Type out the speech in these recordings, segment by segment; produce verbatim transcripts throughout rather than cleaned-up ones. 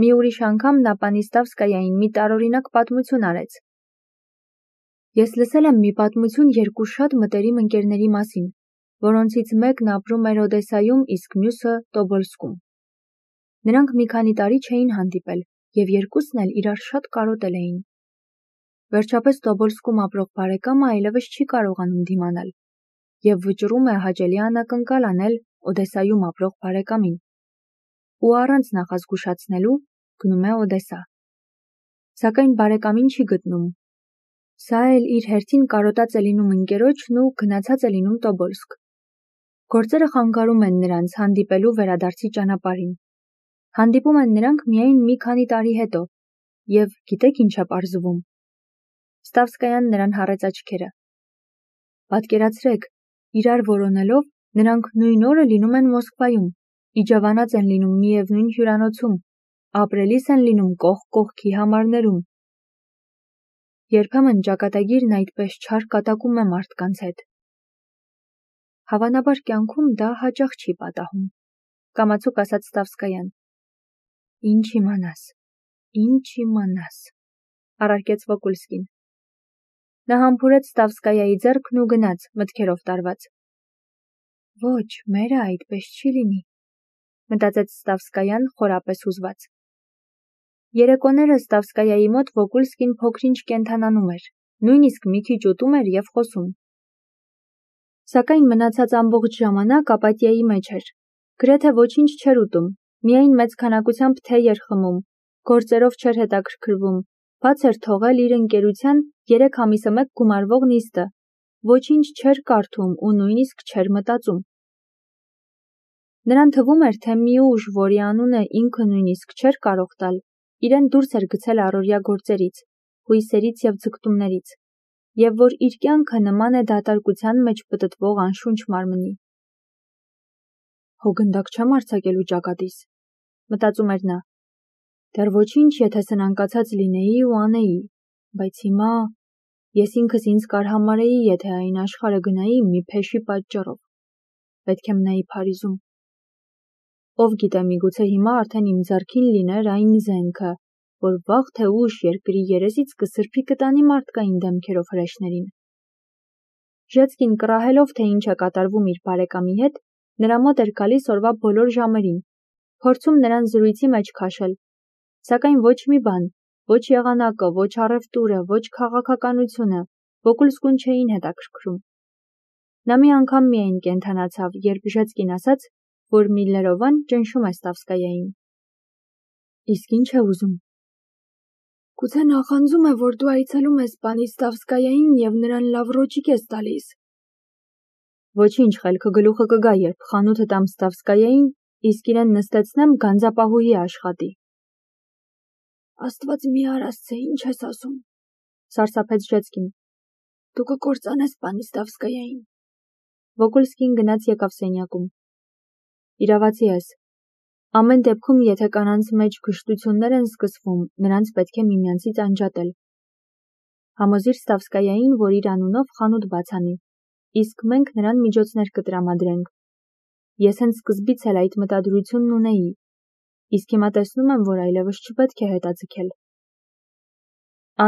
Մի ուրիշ անգամ նա Պանիստավսկայային մի տարօրինակ պատմություն արեց. Ես լսել եմ մի պատմություն երկու շատ մտերիմ ընկերների մասին, որոնցից մեկն ապրում էր Օդեսայում, իսկ մյուսը Տոբոլսկում։ Նրանք մի քանի տարի չէին հանդիպել և երկուսն էլ իրար շատ կարոտել էին։ Վերջապես Տոբոլսկում ապրող բարեկամը այլևս չի կարողանում դիմանալ և վճռում է հաճելի անակնկալ անել Օդեսայում ապրող բարեկամին ու առանց նախազգուշացնելու գնում է Օդեսա։ Սակայն բարեկամին չի գտնում։ Սա էլ իր հերթին կարոտած է լինում ընկերոջն ու գնացած է լինում Տոբոլսկ։ Գործերը խանգարում են նրանց հանդիպելու վերադարձի ճանապարհին։ Հանդիպում են նրանք միայն մի քանի տարի հետո, և գիտեք ինչ է պարզվում։ Ստավսկայան նրան հառեց աչքերը։ Պատկերացրեք, իրար որոնելով, նրանք նույն օրը լինում են Մոսկվայում, իջևանած են լինում միևնույն հյուրանոցում, ապրելիս են լինում կողք կողքի համարներում։ Երբեմն ճակատագիրն այդպես չար կատակում է մարդկանց հետ։ Հավանաբար կյանքում դա հաճախ չի պատահում, կամացուկ ասաց Ստավսկայան։ Ինչ իմանաս, ինչ իմանաս, առարկեց Վոկուլսկին։ Նա համբուրեց Ստավսկայայի ձեռքն ու գնաց, մտքերով տարված։ Ոչ, մերը այդպես չի լինի, մտածեց Ստավսկայան խորապես հուզված։ Երեկոները Ստավսկայայի մոտ Վոկուլսկին փոքր-ինչ կենդանանում էր, նույնիսկ մի քիչ ուտում էր և խոսում։ Սակայն մնացած ամբողջ ժամանակ ապաթիայի մեջ էր, գրեթե ոչինչ չէր ուտում, միայն մեծ քանակությամբ թեյ էր խմում, գործերով չէր հետաքրքրվում, բաց էր թողել իր ընկերության երեք ամիսը մեկ գումարվող նիստը, ոչինչ չէր կարդում ու նույնիսկ չէր մտածում։ Նրան թվում էր, թե մի ուժ, որի անունը ինքը նույնիսկ չէր կարող տալ, իրեն դուրս էր գցել առօրյա գործերից, հույսերից և ձգտումներից, և որ իր կյանքը նման է դատարկության մեջ պտտվող անշունչ մարմնի։ Հո գնդակ չեմ արձակելու ճակատիս, մտածում էր նա։ Դեռ ոչինչ, եթե սնանկացած լինեի ու անեի, բայց հիմա ես ինքս ինձ կարհամարեի, եթե այն աշխարհը գնայի մի փեշի պատճառով։ Պետք է մնայի Փարիզում։ Ով գիտե, միգուցե հիմա արդեն իմ ձեռքին լիներ այն զենքը, որ վաղ թե ուշ երկրի երեսից կսրբի կտանի մարդկային դեմքերով հրեշներին։ Ժեցկին կռահելով, թե ինչ է կատարվում իր բարեկամի հետ, նրա մոտ էր գալիս օրվա բոլոր ժամերին, փորձում նրան զրույցի մեջ քաշել, սակայն ոչ մի բան, ոչ եղանակը, ոչ առևտուրը, ոչ քաղաքականությունը Վոկուլսկուն չէին հետաքրքրում։ Նա մի անգամ միայն կենդանացավ, երբ Ժեցկին ասաց, որ Միլլերովան ճնշում է Ստավսկայային։ Իսկ ինչ է ուզում։ Գուցե նախանձում է, որ դու այցելում ես Պանիստավսկայային և նրան լավ ռոճիկ ես տալիս։ Ոչինչ, խելքը գլուխը կգա, երբ խանութը տամ Ստավսկայային, իսկ իրեն նստեցնեմ գանձապահուհի աշխատի։ Աստված մի արասցե, ինչ ես ասում, սարսափեց Ժեցկին։ Դու կկործանես Պանիստավսկայային։ Վոկուլսկին գնաց եկավ սենյակում։ Իրավացի ես։ Ամեն դեպքում, եթե կանանց մեջ գժտություններ են սկսվում, նրանց պետք է միմյանցից անջատել։ Համոզիր Ստավսկայային, որ իր անունով խանութ բաց անի, իսկ մենք նրան միջոցներ կտրամադրենք։ Ես հենց սկզբից էլ այդ մտադրությունն ունեի, իսկ հիմա տեսնում եմ, որ այլևս չպետք է հետաձգել։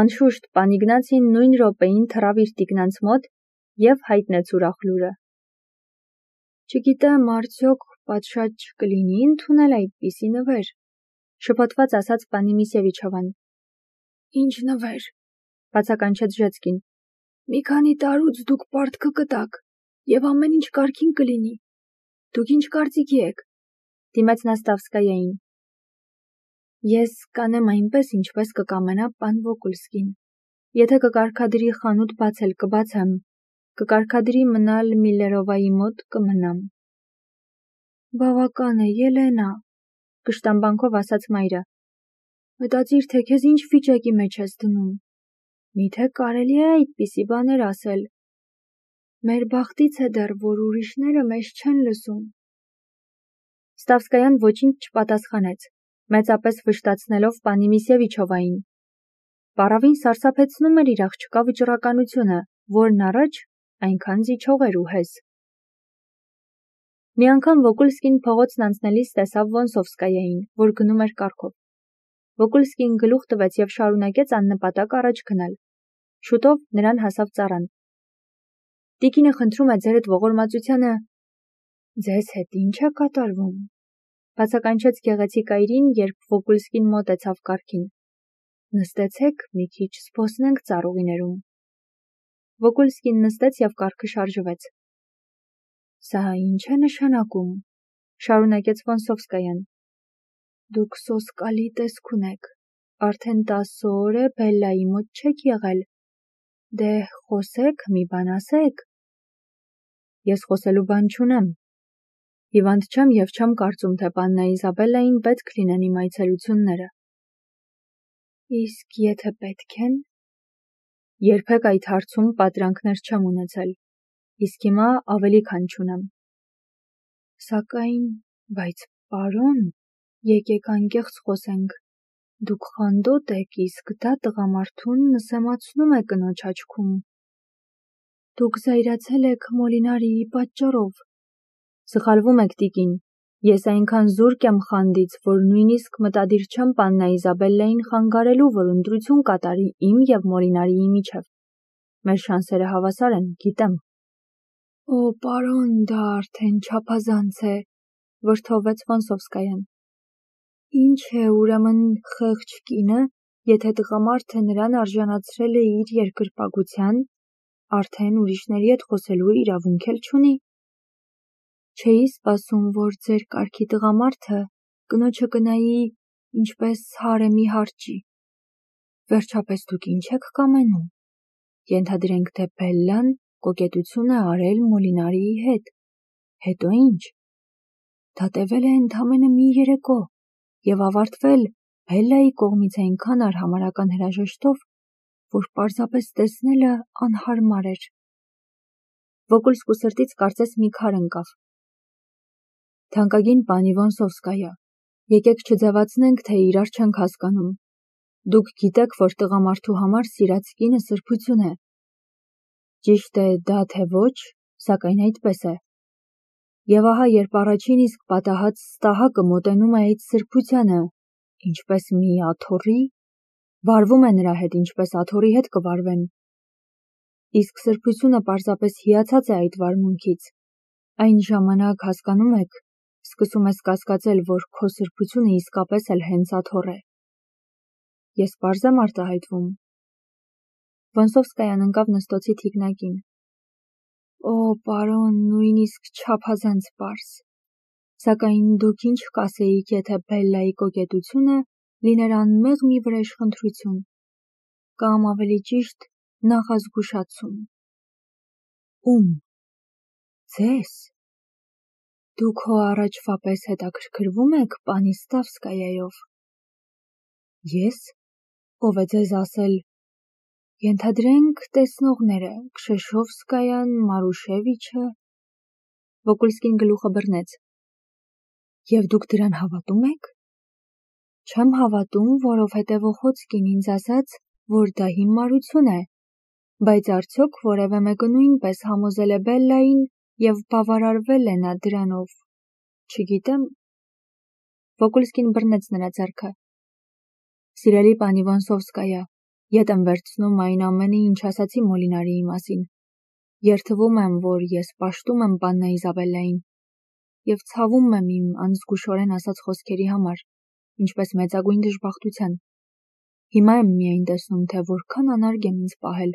Անշուշտ, պան Իգնացին նույն րոպեին թռավ իր տիկնանց մոտ և հայտնեց ուրախ լուրը։ Չգիտեմ, արդյոք պատշաճ կլինի ընդունել այդպիսի նվեր, շփոթված ասաց պանի Միսևիչովան։ Ինչ նվեր, բացականչեց Ժեցկին։ Մի քանի տարուց դուք պարտքը կտաք, և ամեն ինչ կարգին կլինի։ Դուք ինչ կարծիքի եք, դիմեց նա Ստավսկայային։ Ես կանեմ այնպես, ինչպես կկամենա պան Վոկուլսկին։ Եթե կկարգադրի խանութ բացել, կբացեմ, կկարգադրի մնալ Միլլերովայի մոտ, կմնամ։ Բավական է, Ելենա, կշտամբանքով ասաց մայրը։ Մտածիր, թե քեզ ինչ վիճակի մեջ ես դնում։ Միթե կարելի է այդպիսի բաներ ասել։ Մեր բախտից է դեռ, որ ուրիշները մեզ չեն լսում։ Ստավսկայան ոչինչ չպատասխանեց, մեծապես վշտացնելով պանի Միսևիչովային։ Պառավին սարսափեցնում էր իր աղջկա վճռականությունը, որն առաջ այնքան զիջող էր ու հեզ։ Մի անգամ Վոկուլսկին փողոցն անցնելիս տեսավ Վոնսովսկայային, որ գնում էր կառքով։ Վոկուլսկին գլուխ տվեց և շարունակեց աննպատակ առաջ գնալ։ Շուտով նրան հասավ ծառան։ Տիկինը խնդրում է ձերդ ողորմածությանը։ Ձեզ հետ ի՞նչ է կատարվում, բացականչեց գեղեցիկ այրին, երբ Վոկուլսկին մոտեցավ կառքին։ Նստեցեք, մի քիչ զբոսնենք ծառուղիներում։ Վոկուլսկին նստեց և կառքը շարժվեց։ Սա ի՞նչ է նշանակում, շարունակեց Վոնսովսկայան։ Դուք սոսկալի տեսք ունեք, արդեն տասը օր է Բելլայի մոտ չեք եղել։ Դե խոսեք, մի բան ասեք։ Ես խոսելու բան չունեմ։ Հիվանդ չեմ և չեմ կարծում, թե պաննա Իզաբելլային պետք լինեն իմ այցելությունները։ Իսկ եթե պետք են։ Երբեք այդ հարցում պատրանքներ չեմ ունեցել, իսկ հիմա ավելի քան չունեմ։ Սակայն, բայց պարոն, եկեք անկեղծ խոսենք, դուք խանդոտ եք, իսկ դա տղամարդուն նսեմացնում է կնոջ աչքում։ Դուք զայրացել եք Մոլինարիի պատճառով։ Սխալվում եք, տիկին, ես այնքան զուրկ եմ խանդից, որ նույնիսկ մտադիր չեմ պաննա Իզաբելլային խանգարելու, որ ընտրություն կատարի իմ և Մոլինարիի միջև։ Մեր շանսերը հավասար են, գիտեմ։ Օ, պարոն, դա արդեն չափազանց է, վրդովվեց Վոնսովսկայան։ Ինչ է, ուրեմն, խեղճ կինը, եթե տղամարդը նրան արժանացրել է իր երկրպագության, արդեն ուրիշների հետ խոսելու իրավունք էլ չունի։ Չէի սպասում, որ ձեր կարգի տղամարդը կնոջը կնայի ինչպես հարեմի հարճի։ Վերջապես դուք ինչ եք կամենում։ Ենթադրենք, թե Բելլան կոկետություն է արել Մոլինարիի հետ։ Հետո ինչ։ Դա տևել է ընդամենը մի երեկո և ավարտվել Բելլայի կողմից այնքան արհամարհական հրաժեշտով, որ պարզապես տեսնելը անհարմար էր։ Վոկուլսկու սրտից կարծես մի քար ընկավ։ Թանկագին պանի Վոնսովսկայա, եկեք չձևացնենք, թե իրար չենք հասկանում։ Դուք գիտեք, որ տղամարդու համար սիրած կինը սրբություն է։ Ճիշտ է դա թե ոչ, սակայն այդպես է։ Եվ ահա երբ առաջին իսկ պատահած ստահակը մոտենում է այդ սրբությանը, ինչպես մի աթոռի, վարվում է նրա հետ, ինչպես աթոռի հետ կվարվեն։ Իսկ սրբությունը պարզապես հիացած է այդ վարմունքից։ Այն ժամանակ, հասկանում եք, սկսում ես կասկածել, որ քո սրբությունը իսկապես էլ հենց աթոռ է։ Ես պարզ եմ արտահայտվում։ Վոնսովսկայան ընկավ նստոցի թիկնակին։ Օ, պարոն, նույնիսկ չափազանց պարզ։ Սակայն դուք ինչ կասեիք, եթե Բելլայի կոկետությունը լիներ անմեղ մի վրեժխնդրություն, կամ ավելի ճիշտ նախազգուշացում։ Ում։ Ձեզ։ Դուք հո առաջվա պես հետաքրքրվում եք պանի Ստավսկայայով։ Ես։ Ով է ձեզ ասել։ Ենթադրենք տեսնողները, Քշեշովսկայան, Մարուշևիչը։ Վոկուլսկին գլուխը բռնեց։ Եվ դուք դրան հավատում եք։ Չեմ հավատում, որովհետև Օխոցկին ինձ ասաց, որ դա հիմարություն է, բայց արդյոք որևէ մեկը նույնպես համոզել է Բելլային և բավարարվել է նա դրանով։ Չգիտեմ։ Վոկուլսկին բռնեց նրա ձեռքը։ Սիրելի պանի Վոնսովսկայա, ետ եմ վերցնում այն ամենը, ինչ ասացի Մոլինարիի մասին։ Երդվում եմ, որ ես պաշտում եմ պաննա Իզաբելլային և ցավում եմ իմ անզգուշորեն ասած խոսքերի համար, ինչպես մեծագույն դժբախտության։ Հիմա եմ միայն տեսնում, թե որքան անարգ եմ ինձ պահել։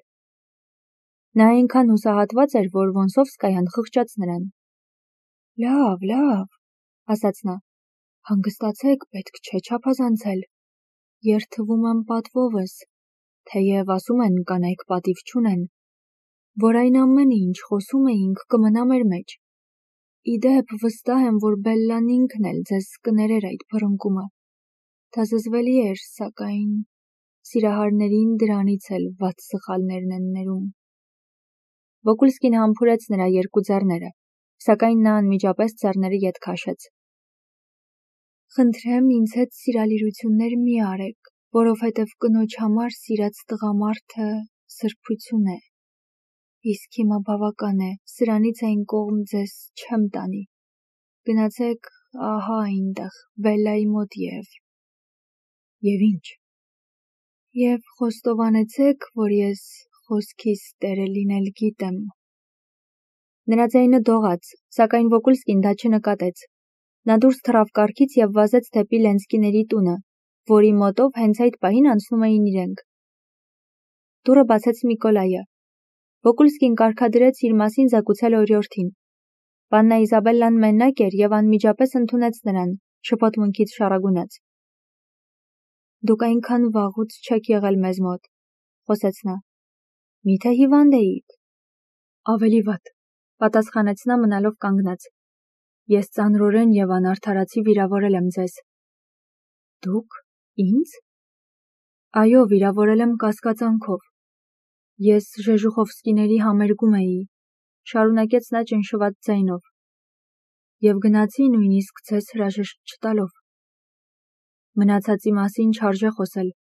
Նա այնքան հուսահատված էր, որ Վոնսովսկայան խղճաց նրան։ Լավ, լավ, ասաց նա, հանգստացեք, պետք չէ չափազանցել։ Երդվում եմ պատվովս, թեև ասում են կանայք պատիվ չունեն, որ այն ամենը, ինչ խոսում էինք, կմնա մեր մեջ։ Ի դեպ, վստահ եմ, որ Բելլան ինքն էլ ձեզ կներեր այդ բռնկումը։ Դա զզվելի էր, սակայն սիրահարներին դրանից էլ վատ սխալներն են ներում։ Վոկուլսկին համբուրեց նրա երկու ձեռները, սակայն նա անմիջապես ձեռները ետ քաշեց։ Խնդրեմ ինձ հետ սիրալիրություններ մի արեք, որովհետև կնոջ համար սիրած տղամարդը սրբություն է։ Իսկ հիմա բավական է, սրանից այն կողմ ձեզ չեմ տանի։ Գնացեք ահա այնտեղ, Բելլայի մոտ և… Եվ ինչ։ Եվ խոստովանեցեք, որ ես խոսքիս տերը լինել գիտեմ։ Նրա ձայնը դողաց, սակայն Վոկուլսկին դա չնկատեց։ Նա դուրս թռավ կառքից և վազեց դեպի Լենսկիների տունը, որի մոտով հենց այդ պահին անցնում էին իրենք։ Դուռը բացեց Միկոլայը։ Վոկուլսկին կարգադրեց իր մասին զեկուցել օրիորդին։ Պաննա Իզաբելլան մենակ էր և անմիջապես ընդունեց նրան, շփոթմունքից շառագունած։ Դուք այնքան վաղուց չեք եղել մեզ մոտ, խոսեց նա։ Միթե հիվանդ էիք։ Ավելի վատ, պատասխանեց նա մնալով կանգնած։ Ես ծանրորեն և անարդարացի վիրավորել եմ ձեզ։ Դուք, ինձ։ Այո, վիրավորել եմ կասկածանքով։ Ես Ժեժուխովսկիների համերգում էի, շարունակեց նա ճնշված ձայնով, և գնացի նույնիսկ ձեզ հրաժեշտ չտալով։ Մնացածի մասին չարժե խոսել,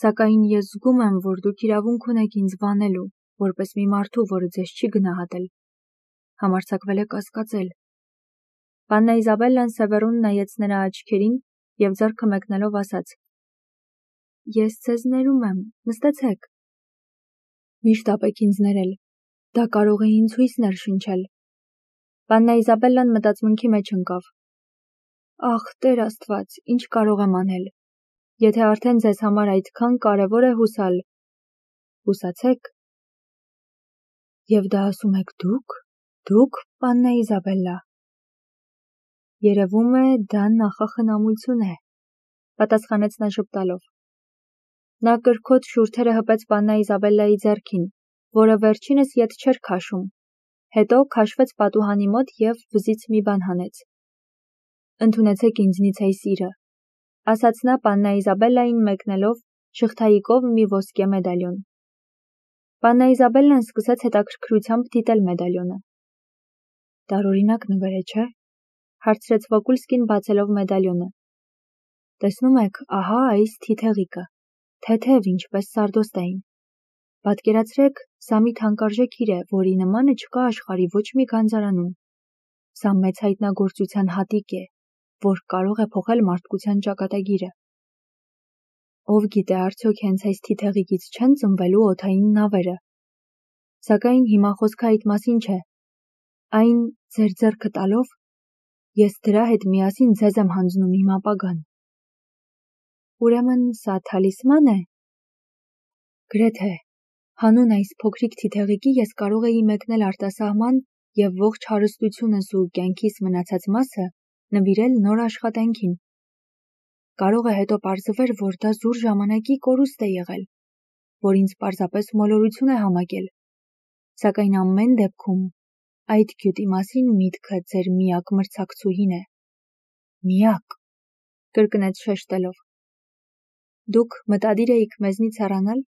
սակայն ես զգում եմ, որ դուք իրավունք ունեք ինձ վանելու, որպես մի մարդու, որը ձեզ չի գնահատել, համարձակվել է կասկածել։ Պաննա Իզաբելլան սևեռուն նայեց նրա աչքերին և ձեռքը մեկնելով ասաց. Ես ձեզ ներում եմ, նստեցեք։ Միշտ ապեք ինձ ներել, դա կարող է ինձ հույսներ շնչել։ Պաննա Իզաբելլան մտածմունքի մեջ ընկավ։ Ախ, Տեր Աստված, ինչ կարող եմ անել։ Եթե արդեն ձեզ համար այդքան կարևոր է հուսալ, հուսացեք։ Եվ դա ասում եք դուք, դուք, Պաննա Իզաբելլա։ Երևում է, դա նախախնամություն է, պատասխանեց նա ժպտալով։ Նա կրքոտ շուրթերը հպեց Պաննա Իզաբելլայի ձեռքին, որը վերջինս ետ չէր քաշում, հետո քաշվեց պատուհանի մոտ և վզից մի բան հանեց։ Ընդունեցեք ինձնից այս սիրը, ասաց նա Պաննա Իզաբելլային մեկնելով շղթայիկով մի ոսկե մեդալյոն։ Պաննա Իզաբելլան սկսեց հետաքրքրությամբ դիտել մեդալյոնը։ Տարօրինակ նվեր է, չէ՞, հարցրեց Վոկուլսկին բացելով մեդալյոնը։ Տեսնում եք, ահա այս թիթեղիկը, թեթև ինչպես սարդոստային։ Պատկերացրեք, սա մի թանկարժեք հիր է, որի նմանը չկա աշխարհի ոչ մի գանձարանում։ Սա մեծ հայտնագործության հատիկ է, որ կարող է փոխել մարդկության ճակատագիրը։ Ով գիտե, արդյոք հենց այս թիթեղիկից չեն ծնվելու օդային նավերը։ Սակայն հիմա խոսքը այդ մասին չէ։ Այն ձեր ձեռքը տալով, ես դրա հետ միասին ձեզ եմ հանձնում իմ ապագան։ Ուրեմն սա թալիսման է։ Գրեթե, հանուն այս փոքրիկ թիթեղիկի ես կարող էի մեկնել արտասահման և ողջ հարստությունս ու կյանքիս մնացած մասը նվիրել նոր աշխատանքին։ Կարող է հետո պարզվեր, որ դա զուր ժամանակի կորուստ է եղել, որ ինձ պարզապես մոլորություն է համակել, սակայն ամեն դեպքում այդ գյուտի մասին միտքը ձեր միակ մրցակցուհին է։ Միակ, կրկնեց շեշտելով։ Դուք մտադիր էիք մեզնից հեռանալ։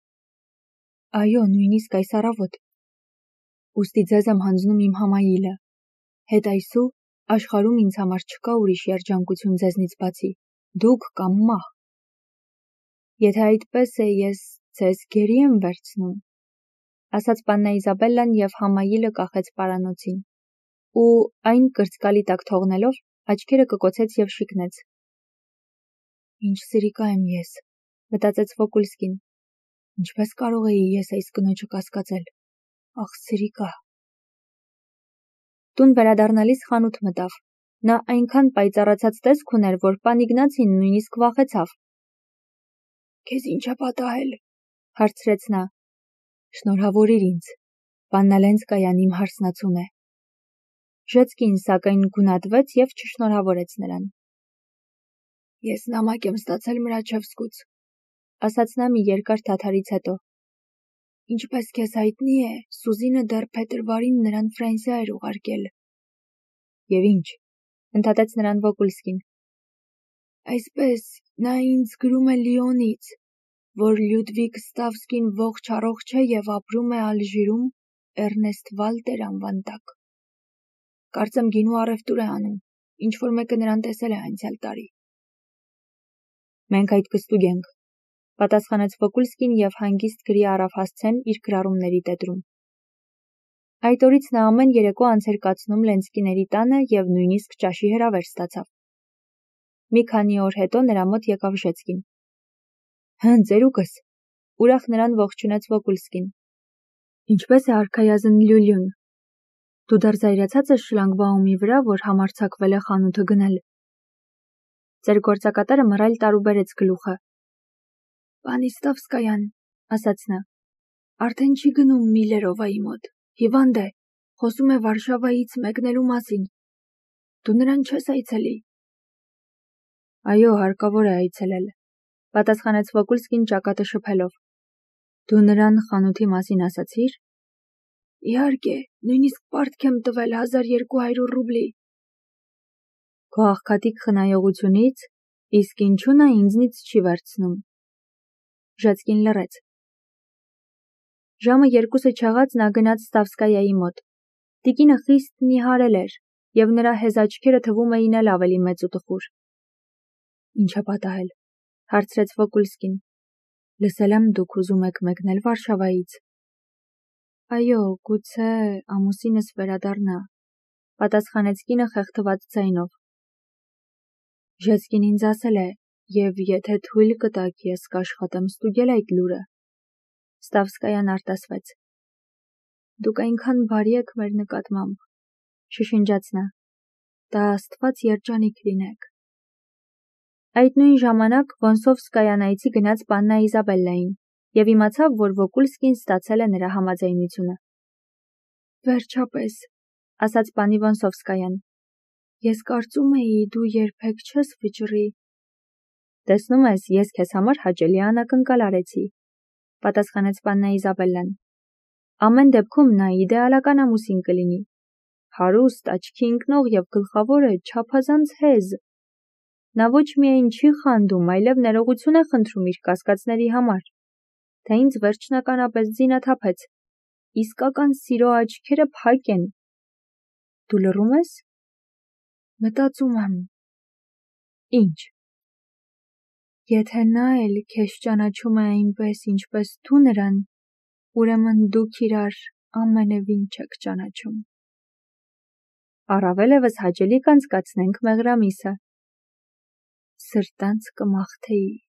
Այո, նույնիսկ այս առավոտ։ Ուստի ձեզ եմ հանձնում իմ համայիլը։ Հետ այսու աշխարհում ինձ համար չկա ուրիշ երջանկություն ձեզնից բացի, դուք կամ մահ։ Եթե այդպես է, ես ձեզ գերի եմ վերցնում, ասաց Պաննա Իզաբելլան և համայիլը կախեց պարանոցին, ու այն կրծկալի տակ թողնելով, աչքերը կկոցեց և շիկնեց։ Ինչ սրիկա եմ ես, մտածեց Վոկուլսկին։ Ինչպես կարող էի ես այս կնոջը կասկածել։ Ախ, սրիկա։ Տուն վերադառնալիս խանութ մտավ։ Նա այնքան պայծառացած տեսք ուներ, որ պան Իգնացին նույնիսկ վախեցավ։ Քեզ ինչ է պատահել, հարցրեց նա։ Շնորհավորիր ինձ, Պաննա Լենսկայան իմ հարսնացուն է։ Ժեցկին սակայն գունատվեց և չշնորհավորեց նրան։ Ես նամակ եմ ստացել Մրաչևսկուց, ասաց նա մի երկար դադարից հետո։ Ինչպես քեզ հայտնի է, Սուզինը դեռ փետրվարին նրան Ֆրանսիա էր ուղարկել։ Եվ ինչ, ընդհատեց նրան Վոկուլսկին։ Այսպես, նա ինձ գրում է Լիոնից, որ Լյուդվիգ Ստավսկին ողջ առողջ է և ապրում է Ալժիրում Էրնեստ Վալտեր անվան տակ։ Կարծեմ գինու առևտուր է անում, ինչ-որ մեկը նրան տեսել է անցյալ տարի։ Մենք այդ կստուգ ենք, պատասխանեց Վոկուլսկին և հանգիստ գրի առավ հասցեն իր գրառումների տետրում։ Այդ օրից նա ամեն երեկո անց էր կացնում Լենսկիների տանը և նույնիսկ ճաշի հրավեր ստացավ։ Մի քանի օր հետո նրա մոտ եկավ Ժեցկին։ Հն ծերուկս, ուրախ նրան ողջունեց Վոկուլսկին։ Ինչպես է արքայազն Լյուլյուն։ Դու դեռ զայրացած ես շլանգբաումի վրա, որ համարձակվել է խանութը գնել։ Ձեր գործակատերը մռայլ տարուբերեց գլուխը։ Պանիստովսկայան, ասաց նա, արդեն չի գնում Միլերովայի մոտ, հիվանդ է, խոսում է Վարշավայից մեկնելու մասին։ Դու նրան չես այցելի։ Այո, հարկավոր է այցելել, պատասխանեց Վոկուլսկին ճակատը շփելով։ Դու նրան խանութի մասին ասացի՞ր։ Իհարկե, նույնիսկ պարտք եմ տվել հազար երկու հարյուր ռուբլի։ Քո աղքատիկ խնայողությունից, իսկ ինչու նա ինձնից չի վերցնում։ Ժեցկին լռեց։ Ժամը երկուսը չեղած նա գնաց Ստավսկայայի մոտ։ Տիկինը խիստ նիհարել էր, և նրա հեզ աչքերը թվում էին էլ ավելի մեծ ու տխուր։ Ինչ է պատահել, հարցրեց Վոկուլսկին։ Լսել եմ դուք ուզում եք մեկնել Վարշավայից։ Այո, գուցե ամուսինս վերադառնա, պատասխանեց կինը խեղդված ձայնով։ Ժեցկին ինձ ասել է, և եթե թույլ կտաք, ես կաշխատեմ ստուգել այդ լուրը։ Ստավսկայան արտասվեց։ Դուք այնքան բարի եք մեր նկատմամբ, շշնջաց նա։ Դա Աստված երջանիկ լինեք։ Այդ նույն ժամանակ Վոնսովսկայան այցի գնաց պաննա Իզաբելլային և իմացավ, որ Վոկուլսկին ստացել է նրա համաձայնությունը։ Վերջապես, ասաց պանի Վոնսովսկայան, ես կարծում էի, դու երբեք չես վճռի։ Տեսնում ես, ես քեզ համար հաճելի անակնկալ արեցի, պատասխանեց պաննա Իզաբելլան։ Ամեն դեպքում նա իդեալական ամուսին կլինի։ Հարուստ, աչքի ընկնող և գլխավորը չափազանց հեզ։ Նա ոչ միայն չի խանդում, այլև ներողություն է խնդրում իր կասկածների համար, թե ինձ վերջնականապես ձինաթափեց, իսկական սիրո աչքերը փակ են։ Դու լռում ես։ Մտածում եմ։ Ինչ։ Եթե նա էլ քեզ ճանաչում է այնպես, ինչպես դու նրան, ուրեմն դուք իրար ամենևին չեք ճանաչում։ Առավել ևս հաճելի կանցկացնենք մեղրամիսը։ Սրտանց կմաղթեի։